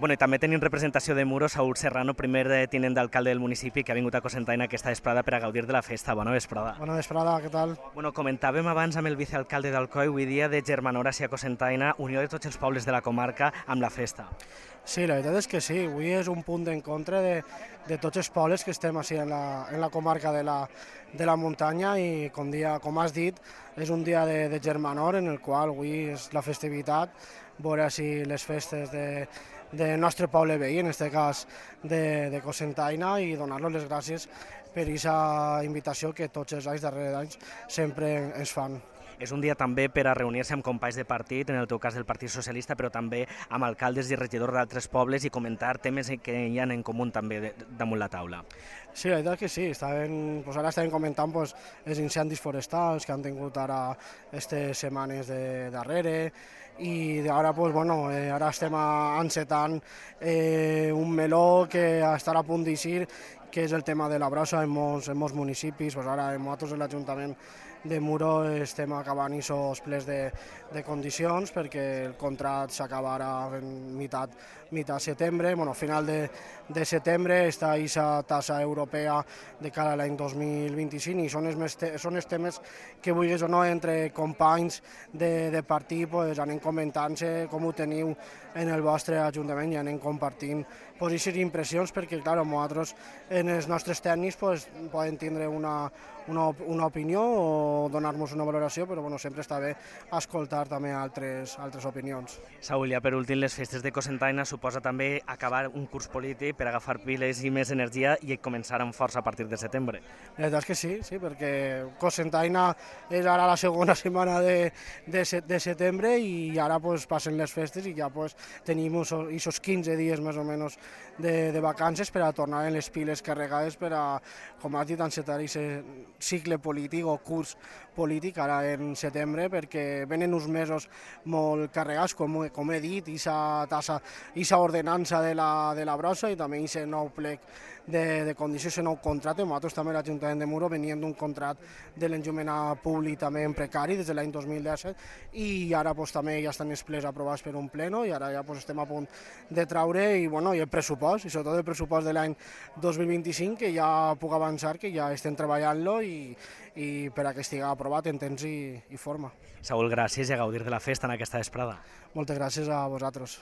Bueno, i també tenim representació de Muro, Saúl Serrano, primer tinent d'alcalde del municipi, que ha vingut a Cocentaina aquesta vesprada per a gaudir de la festa. Bona vesprada. Bona vesprada, què tal? Bueno, comentàvem abans amb el vicealcalde d'Alcoi, avui dia de germanor hacia Cocentaina, unió de tots els pobles de la comarca amb la festa. Sí, la veritat és que sí, avui és un punt d'encontre de tots els pobles que estem així en la comarca de la muntanya i, com has dit, és un dia de germanor en el qual avui és la festivitat, veure així les festes del nostre poble veí, en aquest cas de Cocentaina, i donar-los les gràcies per aquesta invitació que tots els anys darrere d'anys sempre ens fan. És un dia també per a reunir-se amb companys de partit, en el teu cas del Partit Socialista, però també amb alcaldes i regidors d'altres pobles i comentar temes que hi ha en comú també damunt la taula. Sí, la veritat que sí, ara estàvem comentant els incendis forestals que han tingut ara aquestes setmanes darrere, i ara, ara estem encetant un meló que estarà a punt d'eixir, que és el tema de la brossa en molts municipis. Ara nosaltres, l'Ajuntament de Muro, estem acabant aquests plens de condicions perquè el contracte s'acaba ara en meitat setembre. A final de setembre està aquesta tassa europea de cara a l'any 2025 i són els temes que, vulguis o no, entre companys de partit anem comentant-se com ho teniu en el vostre Ajuntament i anem compartint aquestes impressions, perquè nosaltres en els nostres tècnics poden tindre una opinió o donar-nos una valoració, però sempre està bé escoltar també altres opinions. Saúl, ja per últim, les festes de Cocentaina suposa també acabar un curs polític per agafar piles i més energia i començar amb força a partir de setembre. La veritat és que sí, perquè Cocentaina és ara la segona setmana de setembre i ara passen les festes i ja tenim aquests 15 dies més o menys de vacances per a tornar en les piles carregades per a, com has dit, encetar aquest cicle polític o curs polític ara en setembre, perquè venen uns mesos molt carregats, com he dit, aquesta ordenança de la brossa i també aquest nou plec de condicions, aquest nou contracte. Nosaltres també l'Ajuntament de Muro veníem d'un contracte de l'enllumenat públic també en precari des de l'any 2017 i ara també ja estan els plens aprovats per un pleno i ara ja estem a punt de traure i el pressupost, i sobretot el pressupost de l'any 2025, que ja puc avançar que ja estem treballant-lo i per a que estigui aprovat en temps i forma. Saúl, gràcies i a gaudir de la festa en aquesta vesprada. Moltes gràcies a vosaltres.